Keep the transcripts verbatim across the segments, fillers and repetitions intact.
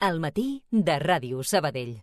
Al matí de Ràdio Sabadell.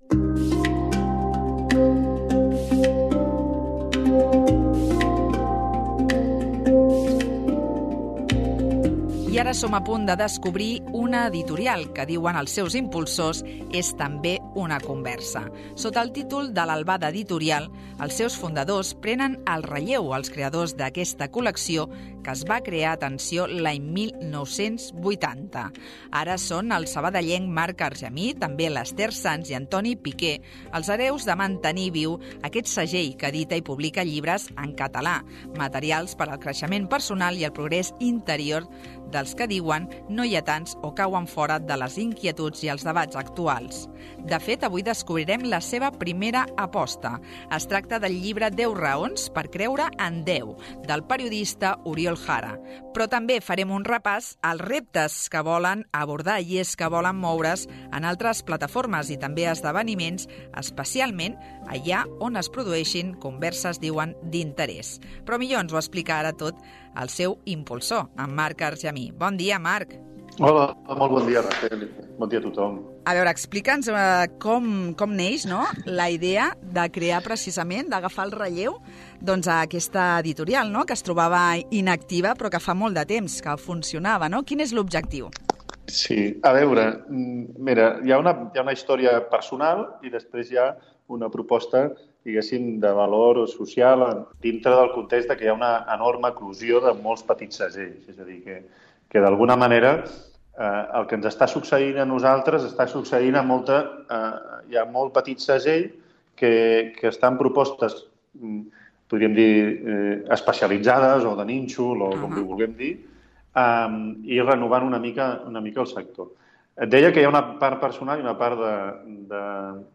I ara som a punt de descobrir una editorial que, diuen els seus impulsors, és també una conversa. Sota el títol de l'Albada Editorial, els seus fundadors prenen el relleu als creadors d'aquesta col·lecció que es va crear, atenció, l'any mil nou-cents vuitanta. Ara són el sabadellenc Marc Argemí, també l'Ester Sans i Antoni Piqué, els hereus de mantenir viu aquest segell que edita i publica llibres en català, materials per al creixement personal i el progrés interior dels que diuen no hi ha tants o cauen fora de les inquietuds i els debats actuals. De fet, avui descobrirem la seva primera aposta. Es tracta del llibre deu raons per creure en Déu, del periodista Oriol Jara. Però també farem un repàs als reptes que volen abordar, i és que volen moure's en altres plataformes i també esdeveniments, especialment allà on es produeixin converses, diuen, d'interès. Però millor ens ho explica ara tot el seu impulsor, en Marc Argemí. Bon dia, Marc. Hola, molt bon dia, Raquel. Bon dia a tothom. A veure, explica'ns uh, com, com neix, no?, la idea de crear precisament, d'agafar el relleu doncs, a aquesta editorial, no?, que es trobava inactiva però que fa molt de temps que funcionava, no? Quin és l'objectiu? Sí, a veure, mira, hi ha una, hi ha una història personal i després hi ha una proposta, diguéssim, de valor social dintre del context de que hi ha una enorme eclosió de molts petits segells. És a dir, que, que d'alguna manera eh, el que ens està succeint a nosaltres està succeint a molta... Eh, hi ha molt petit segell que, que estan propostes, podríem dir, eh, especialitzades o de nínxol o com uh-huh. li vulguem dir, eh, i renovant una mica, una mica el sector. Et deia que hi ha una part personal i una part de, de,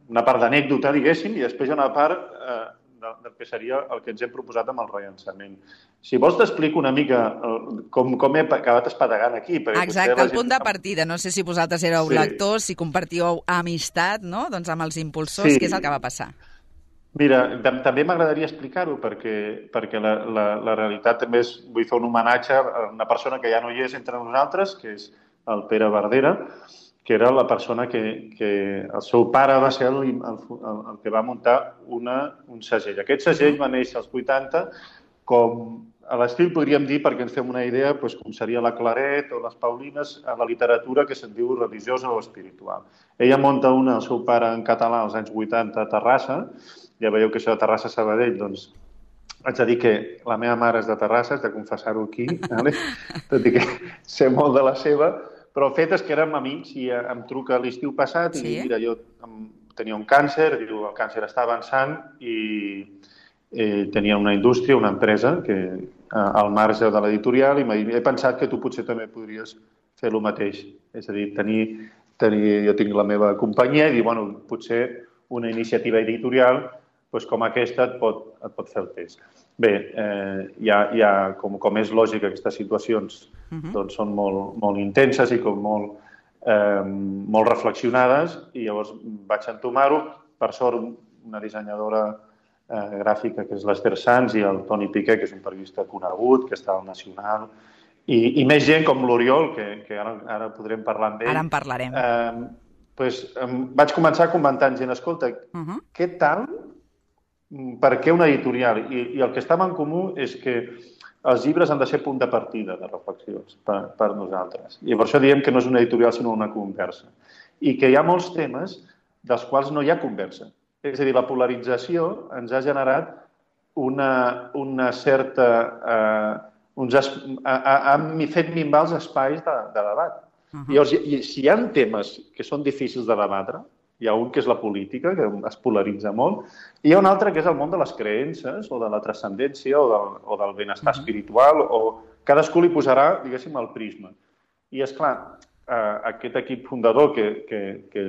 una part d'anècdota, diguéssim, i després hi ha una part eh, de, del que seria el que ens hem proposat amb el rellançament. Si vols t'explico una mica el, com, com he acabat espadegant aquí. Exacte, el punt de partida. No sé si vosaltres éreu sí. lectors, si compartíeu amistat, no?, doncs amb els impulsors, sí. Què és el que va passar? Mira, també m'agradaria explicar-ho perquè, perquè la, la, la realitat també és, vull fer un homenatge a una persona que ja no hi és entre nosaltres, que és el Pere Verdera, que era la persona que, que el seu pare va ser el, el, el que va muntar una, un segell. Aquest segell va néixer als vuitanta com a l'estil, podríem dir, perquè ens fem una idea, doncs, com seria la Claret o les Paulines a la literatura que se'n diu religiosa o espiritual. Ella munta una, el seu pare en català als anys vuitanta a Terrassa. Ja veieu que això de Terrassa Sabadell, doncs, haig de dir que la meva mare és de Terrassa, haig de confessar-ho aquí, vale? Tot i que sé molt de la seva, però el fet és que érem amics i em truca l'estiu passat i sí? Mira, jo tenia un càncer, diu, el càncer està avançant i eh, tenia una indústria, una empresa que al marge de l'editorial i he pensat que tu potser també podries fer el mateix. És a dir, tenir, tenir, jo tinc la meva companyia i dir, bueno, potser una iniciativa editorial doncs com aquesta et pot, et pot fer el test. Bé, eh, hi ha, hi ha com, com és lògic, aquestes situacions uh-huh. doncs són molt, molt intenses i com molt, eh, molt reflexionades i llavors vaig entomar-ho. Per sort, una dissenyadora eh, gràfica que és l'Ester Sans i el Toni Piqué, que és un periodista conegut, que està al Nacional, i, i més gent com l'Oriol, que, que ara, ara podrem parlar amb ell. Ara en parlarem. Eh, doncs, eh, vaig començar comentant gent, escolta, uh-huh. què tal... Per què una editorial? I, I el que estava en comú és que els llibres han de ser punt de partida de reflexions per, per nosaltres. I per això diem que no és una editorial sinó una conversa. I que hi ha molts temes dels quals no hi ha conversa. És a dir, la polarització ens ha generat una, una certa... Eh, uns es, ha, ha fet minvar els espais de, de debat. Uh-huh. I, llavors, i, si hi ha temes que són difícils de debatre, hi ha un que és la política, que es polaritza molt, i hi ha un altre que és el món de les creences, o de la transcendència, o del, o del benestar uh-huh. espiritual, o cadascú li posarà, diguéssim, el prisma. I, esclar, eh, aquest equip fundador, que, que, que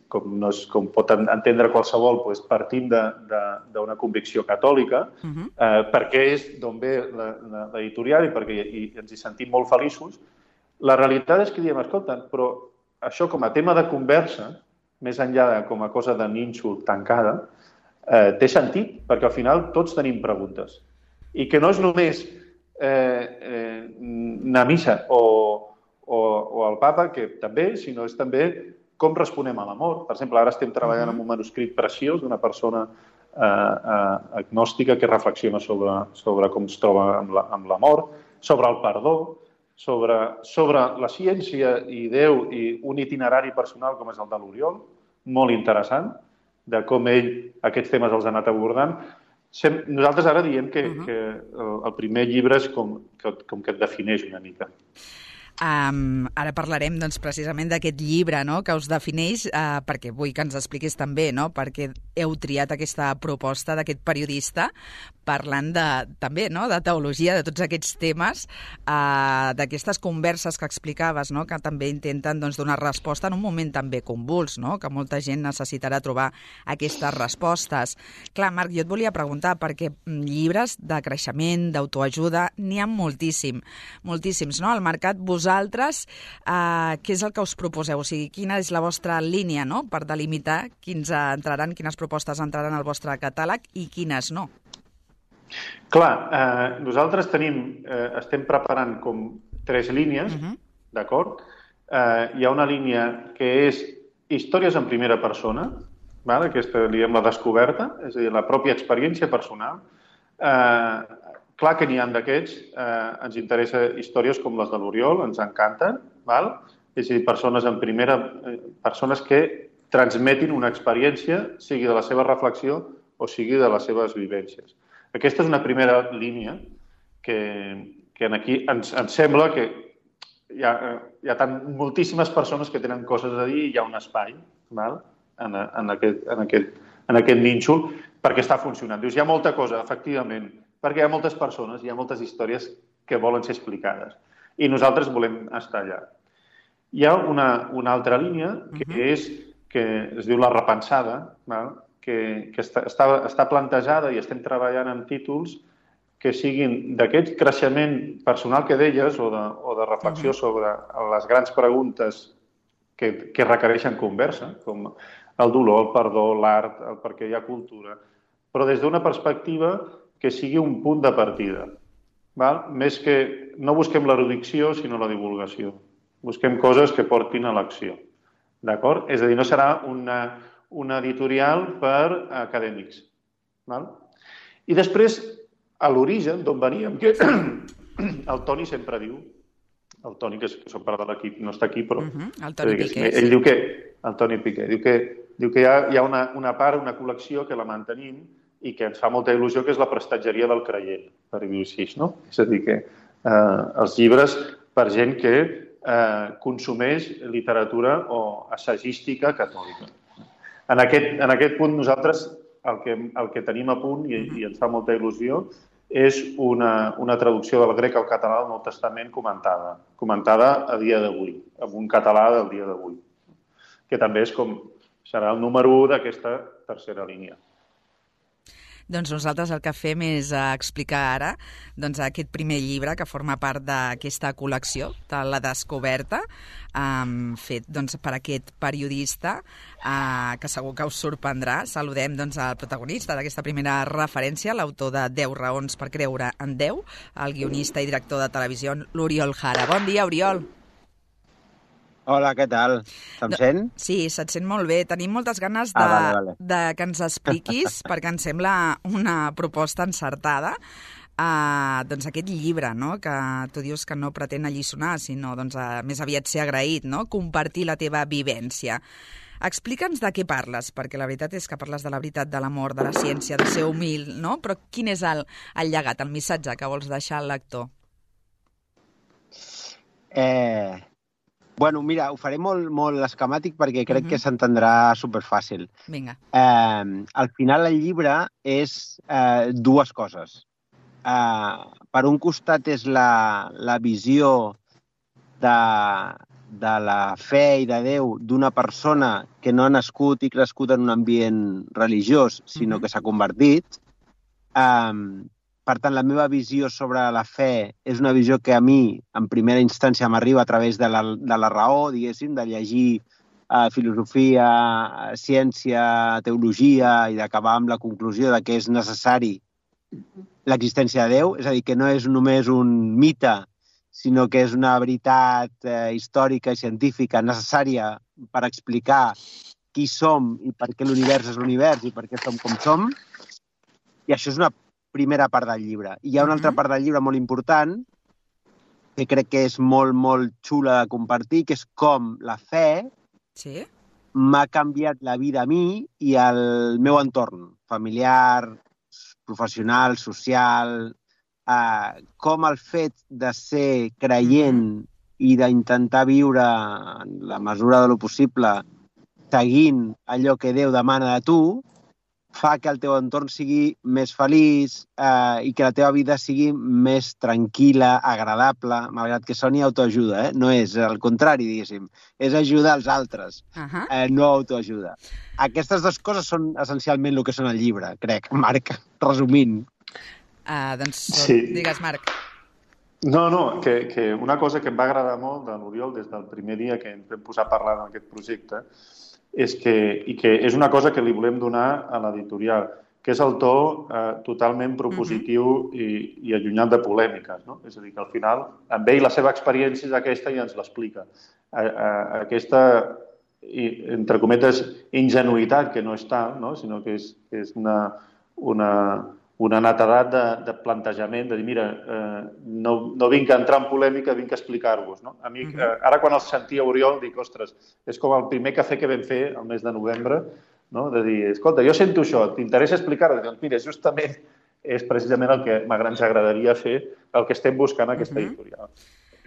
com, no és, com pot entendre qualsevol, doncs, partim d'una convicció catòlica, uh-huh. eh, perquè és d'on ve l'editorial i perquè i ens hi sentim molt feliços. La realitat és que diem, escolta, però això com a tema de conversa, més enllà de com a cosa de nínxol tancada, eh, té sentit, perquè al final tots tenim preguntes. I que no és només eh, eh, anar a missa o, o, o al papa, que també, sinó és també com responem a l'amor. Per exemple, ara estem treballant en un manuscrit preciós d'una persona eh, eh, agnòstica que reflexiona sobre, sobre com es troba amb l'amor, sobre el perdó, sobre, sobre la ciència i Déu i un itinerari personal com és el de l'Oriol, molt interessant, de com ell aquests temes els ha anat abordant. Nosaltres ara diem que, uh-huh. que el primer llibre és com que, com que et defineix una mica. Um, ara parlarem doncs, precisament d'aquest llibre, no?, que us defineix, uh, perquè vull que ens expliquis també, no?, perquè heu triat aquesta proposta d'aquest periodista parlant de, també, no?, de teologia, de tots aquests temes, uh, d'aquestes converses que explicaves, no?, que també intenten doncs, donar resposta en un moment també convuls, no?, que molta gent necessitarà trobar aquestes respostes. Clar, Marc, jo et volia preguntar, perquè llibres de creixement, d'autoajuda, n'hi ha moltíssim, moltíssims, no?, al mercat. Vosaltres, eh, què és el que us proposeu? O sigui, quina és la vostra línia, no?, per delimitar quins entraran, quines propostes entraran al vostre catàleg i quines no? Clar, eh, nosaltres tenim, eh, estem preparant com tres línies, uh-huh. d'acord? Eh, hi ha una línia que és històries en primera persona, val? Aquesta, diguem, la descoberta, és a dir, la pròpia experiència personal. Eh, Clar que n'hi ha d'aquests, eh, ens interessa històries com les de l'Oriol, ens encanten, val? És a dir, persones en primera, eh, persones que transmetin una experiència, sigui de la seva reflexió o sigui de les seves vivències. Aquesta és una primera línia que, que aquí ens, ens sembla que hi ha, hi ha tant, moltíssimes persones que tenen coses a dir i hi ha un espai, val? En, en, aquest, en, aquest, en aquest nínxol perquè està funcionant. Dius, hi ha molta cosa, efectivament, perquè hi ha moltes persones, hi ha moltes històries que volen ser explicades. I nosaltres volem estar allà. Hi ha una, una altra línia que, uh-huh. és, que es diu La repensada, val? que, que està, està, està plantejada i estem treballant amb títols que siguin d'aquest creixement personal que deies o de, o de reflexió uh-huh. sobre les grans preguntes que, que requereixen conversa, com el dolor, el perdó, l'art, el per què hi ha cultura, però des d'una perspectiva que sigui un punt de partida. Val? Més que no busquem l'erudició, sinó la divulgació. Busquem coses que portin a l'acció. D'acord? És a dir, no serà una, una editorial per acadèmics. Val? I després, a l'origen, d'on veníem, que el Toni sempre diu, el Toni, que és part de l'equip, no està aquí, però... Uh-huh. El Toni Piqué. Ell diu que... El Toni Piqué. Diu que, diu que hi ha, hi ha una, una part, una col·lecció que la mantenim i que ens fa molta il·lusió, que és la prestatgeria del creient, per dir-ho així, no? És a dir, que eh, els llibres per gent que eh, consumeix literatura o assagística catòlica. En aquest, en aquest punt nosaltres el que, el que tenim a punt, i, i ens fa molta il·lusió, és una, una traducció del grec al català del Nou Testament comentada, comentada a dia d'avui, amb un català del dia d'avui, que també és com serà el número u d'aquesta tercera línia. Doncs nosaltres el que fem és explicar ara doncs, aquest primer llibre que forma part d'aquesta col·lecció de La Descoberta, um, fet doncs, per aquest periodista uh, que segur que us sorprendrà. Saludem doncs, el protagonista d'aquesta primera referència, l'autor de deu raons per creure en Déu, el guionista i director de televisió, l'Oriol Jara. Bon dia, Oriol. Hola, què tal? Se'm sent? Sí, se't sent molt bé. Tenim moltes ganes de, ah, vale, vale. de que ens expliquis, perquè ens sembla una proposta encertada, uh, doncs aquest llibre, no?, que tu dius que no pretén alliçonar, sinó doncs, uh, més aviat ser agraït, no?, compartir la teva vivència. Explica'ns de què parles, perquè la veritat és que parles de la veritat, de l'amor, de la ciència, de ser humil, no? Però quin és el, el llegat, el missatge que vols deixar al lector? Eh... Bueno, mira, ho faré molt, molt esquemàtic perquè crec uh-huh. que s'entendrà superfàcil. Vinga. Eh, al final el llibre és eh, dues coses. Eh, per un costat és la, la visió de, de la fe i de Déu d'una persona que no ha nascut i crescut en un ambient religiós, sinó uh-huh. que s'ha convertit. Eh, Per tant, la meva visió sobre la fe és una visió que a mi, en primera instància, m'arriba a través de la, de la raó, diguéssim, de llegir eh, filosofia, ciència, teologia i d'acabar amb la conclusió de que és necessari l'existència de Déu. És a dir, que no és només un mite, sinó que és una veritat eh, històrica i científica necessària per explicar qui som i per què l'univers és l'univers i per què som com som. I això és una primera part del llibre. I hi ha una altra part del llibre molt important que crec que és molt, molt xula de compartir, que és com la fe sí? m'ha canviat la vida a mi i al meu entorn familiar, professional, social, eh, com el fet de ser creient i d'intentar viure en la mesura de lo possible seguint allò que Déu demana de tu, fa que el teu entorn sigui més feliç eh, i que la teva vida sigui més tranquil·la, agradable, malgrat que soni autoajuda, eh? No és el contrari, diguéssim. És ajudar als altres, uh-huh. eh, no autoajuda. Aquestes dues coses són essencialment el que són el llibre, crec, Marc, resumint. Uh, doncs sí. Digues, Marc. No, no, que, que una cosa que em va agradar molt de l'Oriol des del primer dia que ens vam posar a parlar d'aquest projecte és que, i que és una cosa que li volem donar a l'editorial, que és el to eh, totalment propositiu uh-huh. i, i allunyat de polèmiques. No? És a dir, que al final, amb ell la seva experiència és aquesta i ens l'explica. A, a, aquesta, i, entre cometes, ingenuïtat, que no és tal, no? Sinó que és, que és una, una, una netedat de, de plantejament, de dir, mira, eh, no, no vinc a entrar en polèmica, vinc a explicar-vos. No? A mi, uh-huh. eh, ara quan el sentia Oriol, dic, ostres, és com el primer cafè que vam fer el mes de novembre, no? De dir, escolta, jo sento això, t'interessa explicar-ho? Doncs mira, justament és precisament el que ens agradaria fer, el que estem buscant a aquesta uh-huh. editorial.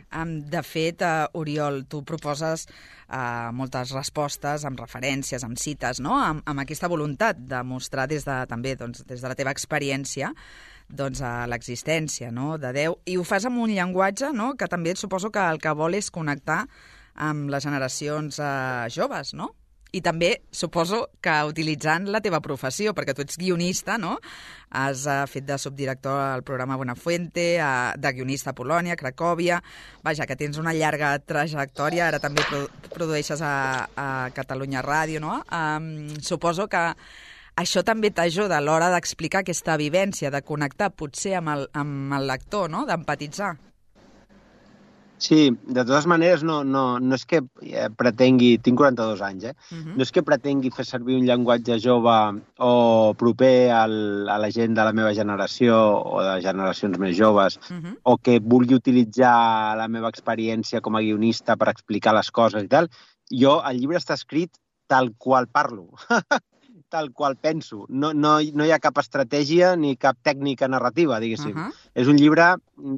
Um, de fet, uh, Oriol, tu proposes uh, moltes respostes amb referències, amb cites, no? amb, amb aquesta voluntat de mostrar des de, també doncs, des de la teva experiència doncs, uh, l'existència, no? De Déu. I ho fas amb un llenguatge, no? Que també suposo que el que vol és connectar amb les generacions uh, joves, no? I també suposo que utilitzant la teva professió, perquè tu ets guionista, no? Has uh, fet de subdirector al programa Buenafuente, uh, de guionista a Polònia, Cracòvia. Vaja, que tens una llarga trajectòria, ara també produ produeixes a, a Catalunya Ràdio, no? Um, suposo que això també t'ajuda a l'hora d'explicar aquesta vivència, de connectar potser amb el, amb el lector, no? D'empatitzar. Sí, de totes maneres, no, no, no és que pretengui... Tinc quaranta-dos anys, eh? Uh-huh. No és que pretengui fer servir un llenguatge jove o proper al, a la gent de la meva generació o de generacions més joves, uh-huh. o que vulgui utilitzar la meva experiència com a guionista per explicar les coses i tal. Jo, el llibre està escrit tal qual parlo, tal qual penso. No, no, no hi ha cap estratègia ni cap tècnica narrativa, diguéssim. Uh-huh. És un llibre,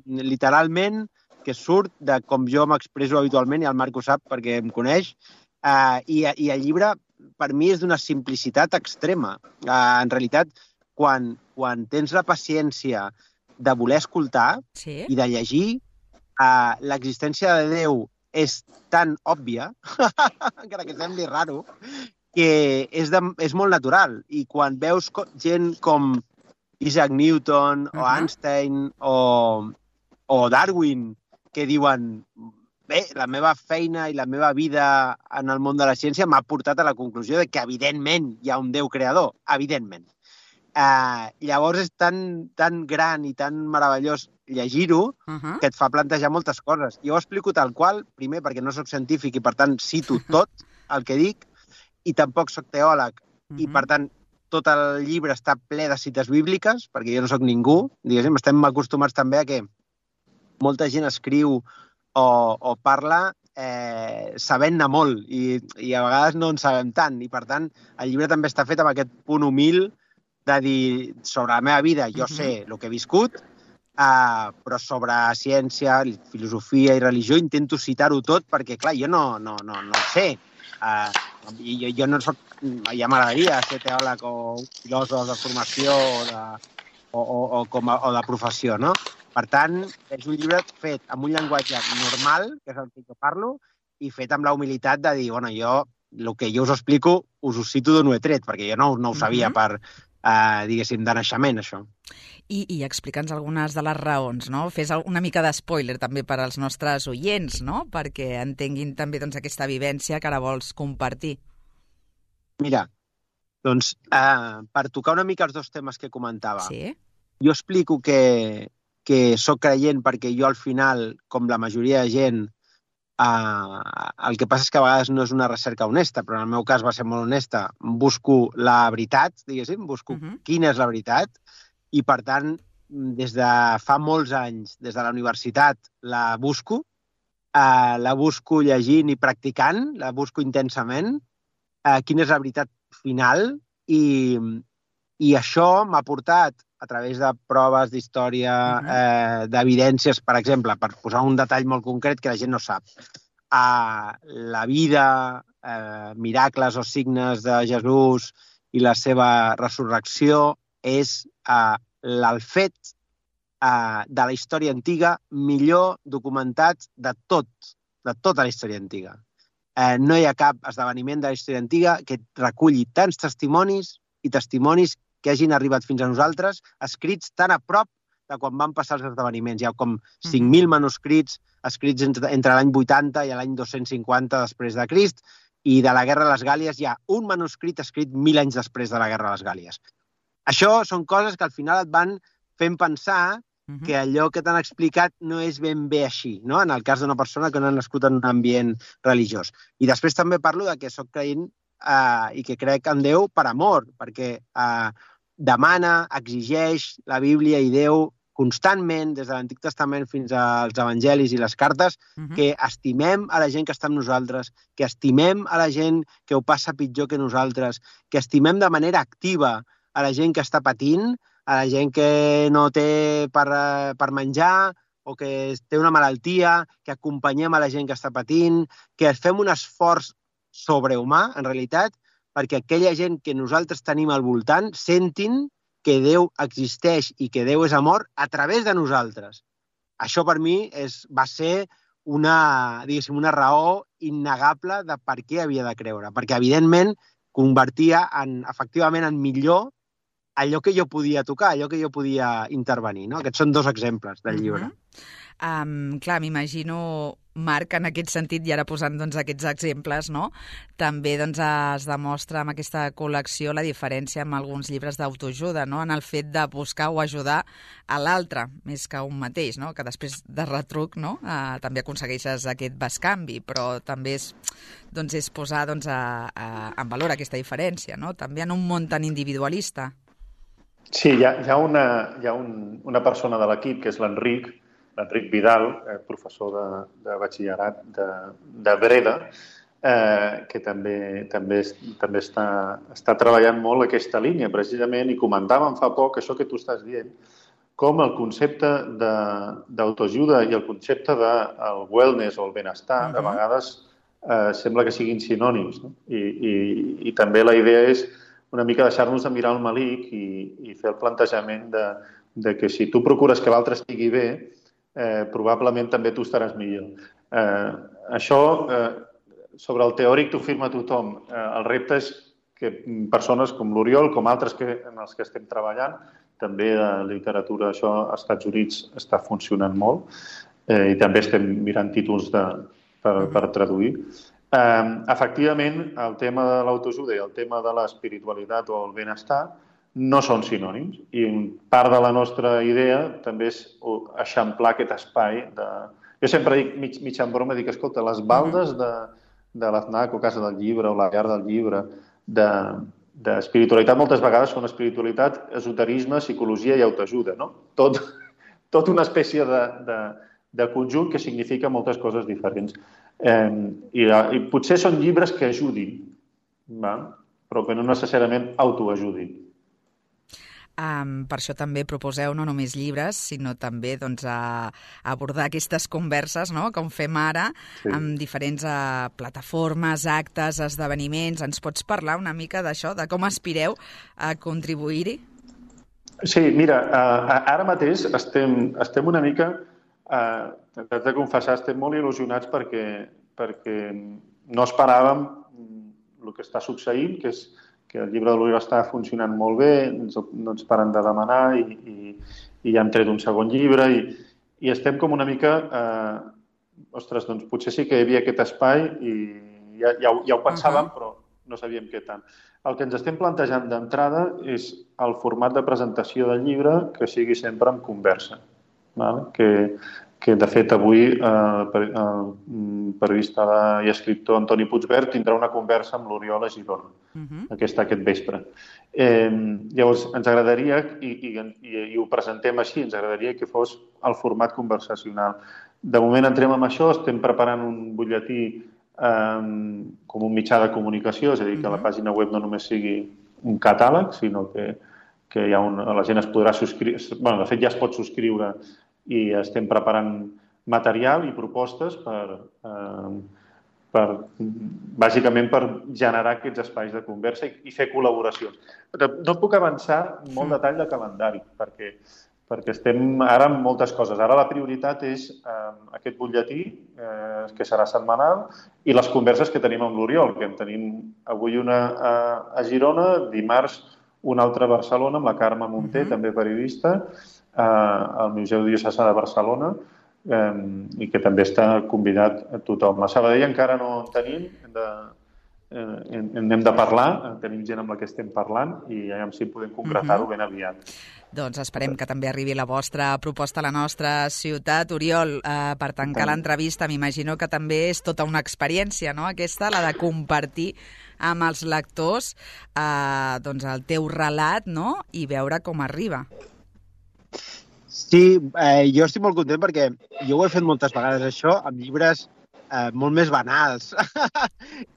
literalment, que surt de com jo m'expresso habitualment, i el Marc ho sap perquè em coneix, uh, i, i el llibre per mi és d'una simplicitat extrema. Uh, en realitat, quan, quan tens la paciència de voler escoltar sí. i de llegir, uh, l'existència de Déu és tan òbvia, encara que sembli raro, que és, de, és molt natural. I quan veus gent com Isaac Newton uh-huh. o Einstein o, o Darwin, que diuen, bé, la meva feina i la meva vida en el món de la ciència m'ha portat a la conclusió de que, evidentment, hi ha un Déu creador, evidentment. Uh, llavors és tan, tan gran i tan meravellós llegir-ho uh-huh. que et fa plantejar moltes coses. Jo ho explico tal qual, primer perquè no sóc científic i, per tant, cito tot el que dic, i tampoc sóc teòleg, uh-huh. i, per tant, tot el llibre està ple de cites bíbliques, perquè jo no sóc ningú, diguéssim, estem acostumats també a que molta gent escriu o, o parla eh, sabent-ne molt i, i a vegades no en sabem tant. I, per tant, el llibre també està fet amb aquest punt humil de dir sobre la meva vida jo sé el que he viscut, eh, però sobre ciència, filosofia i religió intento citar-ho tot perquè, clar, jo no, no, no, no ho sé. Eh, jo, jo no soc... Ja m'agradaria ser teòleg o filòsof de formació o de, o, o, o, com a, o de professió, no? Per tant, és un llibre fet amb un llenguatge normal, que és el que jo parlo, i fet amb la humilitat de dir, bueno, jo, el que jo us explico, us ho cito d'on ho he tret, perquè jo no, no ho sabia uh-huh. per, eh, diguéssim, de naixement, això. I, i explica'ns algunes de les raons, no? Fes una mica d'espoiler també per als nostres oients, no? Perquè entenguin també doncs, aquesta vivència que ara vols compartir. Mira, doncs, eh, per tocar una mica els dos temes que comentava, sí? Jo explico que... que sóc creient perquè jo al final, com la majoria de gent, Uh, el que passa és que a vegades no és una recerca honesta, però en el meu cas va ser molt honesta. Busco la veritat, diguéssim, busco uh-huh. quina és la veritat, i per tant, des de fa molts anys, des de la universitat, la busco, uh, la busco llegint i practicant, la busco intensament, uh, quina és la veritat final, i, i això m'ha portat, a través de proves d'història, uh-huh. eh, d'evidències, per exemple, per posar un detall molt concret que la gent no sap. A la vida, eh, miracles o signes de Jesús i la seva resurrecció és eh, el fet eh, de la història antiga millor documentat de tot, de tota la història antiga. Eh, no hi ha cap esdeveniment de la història antiga que reculli tants testimonis i testimonis que hagin arribat fins a nosaltres, escrits tan a prop de quan van passar els esdeveniments. Hi ha com cinc mil manuscrits escrits entre, entre l'any vuitanta i l'any dos-cents cinquanta després de Crist, i de la Guerra de les Gàlies hi ha un manuscrit escrit mil anys després de la Guerra de les Gàlies. Això són coses que al final et van fent pensar que allò que t'han explicat no és ben bé així, no? En el cas d'una persona que no ha nascut en un ambient religiós. I després també parlo de que soc creient Uh, i que crec en Déu per amor, perquè uh, demana, exigeix la Bíblia i Déu constantment, des de l'Antic Testament fins als Evangelis i les cartes, uh-huh. que estimem a la gent que està amb nosaltres, que estimem a la gent que ho passa pitjor que nosaltres, que estimem de manera activa a la gent que està patint, a la gent que no té per, per menjar o que té una malaltia, que acompanyem a la gent que està patint, que fem un esforç sobrehumà, en realitat, perquè aquella gent que nosaltres tenim al voltant sentin que Déu existeix i que Déu és amor a través de nosaltres. Això per mi és, va ser una, diguéssim, una raó innegable de per què havia de creure, perquè evidentment convertia en, efectivament en millor allò que jo podia tocar, allò que jo podia intervenir. No? Aquests són dos exemples del llibre. Uh-huh. Um, clar, m'imagino, Marc, en aquest sentit, i ara posant doncs, aquests exemples, no? També doncs, es demostra amb aquesta col·lecció la diferència amb alguns llibres d'autoajuda, no? En el fet de buscar o ajudar a l'altre, més que un mateix, no? Que després de retruc, no? Uh, també aconsegueixes aquest bescanvi, però també és, doncs, és posar doncs, a, a, en valor aquesta diferència, no? També en un món tan individualista. Sí, hi ha, hi ha, una, hi ha un, una persona de l'equip, que és l'Enric, l'Enric Vidal, eh, professor de, de batxillerat de, de Breda, eh, que també, també, també està, està treballant molt aquesta línia, precisament, i comentàvem fa poc això que tu estàs dient, com el concepte d'autoajuda i el concepte del wellness o el benestar, uh-huh. de vegades eh, sembla que siguin sinònims. No? I, i, I també la idea és una mica deixar-nos de mirar el malic i, i fer el plantejament de, de que si tu procures que l'altre estigui bé, eh, probablement també tu estaràs millor. Eh, això, eh, sobre el teòric, t'ho firma tothom. Eh, el repte és que persones com l'Oriol, com altres que, en els que estem treballant, també de literatura, això als Estats Units està funcionant molt, eh, i també estem mirant títols de, per, per traduir. Eh, efectivament, el tema de l'autoajuda i el tema de l'espiritualitat o el benestar no són sinònims, i part de la nostra idea també és eixamplar aquest espai. De... Jo sempre dic, mig, mig en broma, dic, escolta, les baldes de, de l'Aznac o Casa del Llibre o la Llar del Llibre de, d'espiritualitat moltes vegades són espiritualitat, esoterisme, psicologia i autoajuda, no? Tot, tot una espècie de, de, de conjunt que significa moltes coses diferents. Eh, i, I potser són llibres que ajudin, va? Però que no necessàriament autoajudin. Um, per això també proposeu no només llibres, sinó també doncs, a, a abordar aquestes converses, no?, com fem ara, sí. amb diferents uh, plataformes, actes, esdeveniments. Ens pots parlar una mica d'això, de com aspireu a contribuir-hi? Sí, mira, uh, ara mateix estem, estem una mica, uh, t'haig de confessar, estem molt il·lusionats perquè, perquè no esperàvem el que està succeint, que és que el llibre de l'Oriol està funcionant molt bé, no ens paren de demanar i, i, i ja hem tret un segon llibre i, i estem com una mica... Eh, ostres, doncs potser sí que hi havia aquest espai i ja, ja, ja ho pensàvem, uh-huh. però no sabíem què tant. El que ens estem plantejant d'entrada és el format de presentació del llibre que sigui sempre en conversa. Val? Que, que de fet avui eh, per, eh, periodista i escriptor Antoni Puigvert tindrà una conversa amb l'Oriol a Girona, uh-huh. aquesta, aquest vespre. Eh, llavors, ens agradaria, i, i, i, i ho presentem així, ens agradaria que fos el format conversacional. De moment entrem amb això, estem preparant un butlletí eh, com un mitjà de comunicació, és a dir, que uh-huh. la pàgina web no només sigui un catàleg, sinó que, que hi ha un, la gent es podrà subscriure, bueno, de fet ja es pot subscriure i estem preparant material i propostes per, eh, per, bàsicament per generar aquests espais de conversa i, i fer col·laboracions. Però no puc avançar molt detall de calendari, perquè, perquè estem ara amb moltes coses. Ara la prioritat és eh, aquest butlletí, eh, que serà setmanal, i les converses que tenim amb l'Oriol, que en tenim avui una a, a Girona, dimarts una altra a Barcelona, amb la Carme Munté, uh-huh. també periodista, al Museu Diocesà de Barcelona, eh, i que també està convidat a tothom. A Sabadell encara no en tenim, hem de, eh, hem de parlar, tenim gent amb la que estem parlant i ja si podem concretar-ho ben aviat. Doncs esperem que també arribi la vostra proposta a la nostra ciutat. Oriol, eh, per tancar l'entrevista, m'imagino que també és tota una experiència, no?, aquesta, la de compartir amb els lectors eh, doncs el teu relat, no?, i veure com arriba. Sí, eh, jo estic molt content perquè jo ho he fet moltes vegades, això, amb llibres eh, molt més banals.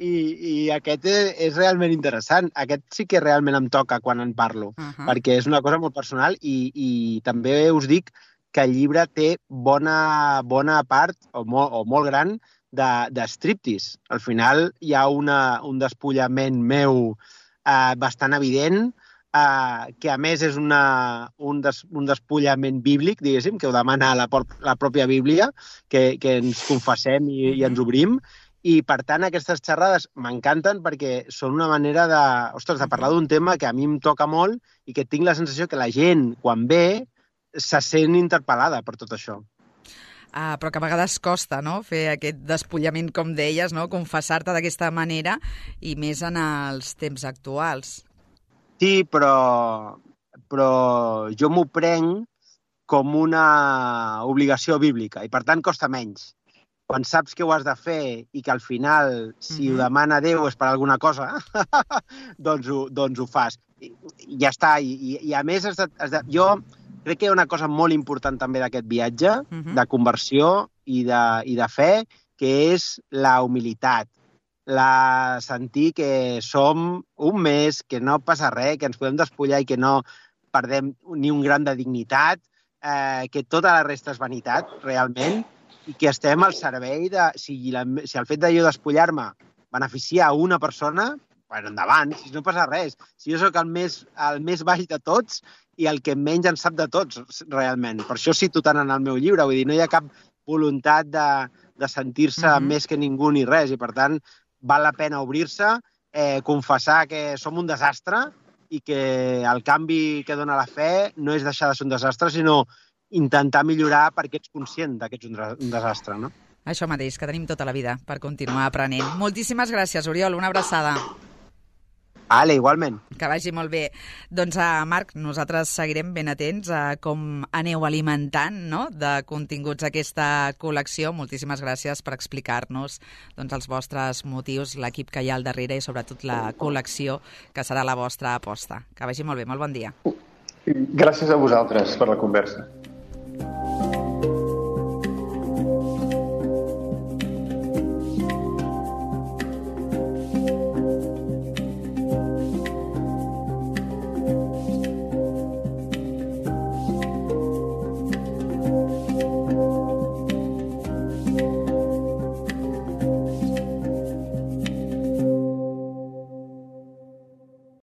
I, I aquest és, és realment interessant. Aquest sí que realment em toca quan en parlo, uh-huh. perquè és una cosa molt personal i, i també us dic que el llibre té bona, bona part, o molt, o molt gran, de, de striptease. Al final hi ha una, un despullament meu eh, bastant evident, Uh, que a més és una, un, des, un despullament bíblic, diguéssim, que ho demana la, la pròpia Bíblia, que, que ens confessem i, i ens obrim, i per tant aquestes xerrades m'encanten perquè són una manera de, ostres, de parlar d'un tema que a mi em toca molt i que tinc la sensació que la gent, quan ve, se sent interpel·lada per tot això. Ah, però que a vegades costa, no?, fer aquest despullament, com deies, no?, confessar-te d'aquesta manera, i més en els temps actuals. Sí, però, però jo m'ho prenc com una obligació bíblica i, per tant, costa menys. Quan saps que ho has de fer i que al final, si mm-hmm. ho demana Déu és per alguna cosa, doncs, ho, doncs ho fas. I, i ja està. I, i, i a més, has de, has de, jo crec que hi ha una cosa molt important també d'aquest viatge, mm-hmm. de conversió i de, i de fe, que és la humilitat. La sentir que som un mes, que no passa res, que ens podem despullar i que no perdem ni un gram de dignitat, eh, que tota la resta és vanitat, realment, i que estem al servei de... Si, la, si el fet de jo despullar-me beneficia a una persona, bueno, endavant, si no passa res. Si jo sóc el més, el més baix de tots i el que menys en sap de tots, realment. Per això cito tant en el meu llibre, vull dir, no hi ha cap voluntat de, de sentir-se mm-hmm. més que ningú ni res, i per tant val la pena obrir-se, eh, confessar que som un desastre i que el canvi que dona la fe no és deixar de ser un desastre, sinó intentar millorar perquè ets conscient que ets un desastre, no? Això mateix, que tenim tota la vida per continuar aprenent. Moltíssimes gràcies, Oriol. Una abraçada. Vale, igualment. Que vagi molt bé. Doncs, uh, Marc, nosaltres seguirem ben atents a com aneu alimentant, no?, de continguts aquesta col·lecció. Moltíssimes gràcies per explicar-nos doncs, els vostres motius, l'equip que hi ha al darrere i sobretot la col·lecció, que serà la vostra aposta. Que vagi molt bé. Molt bon dia. Gràcies a vosaltres per la conversa.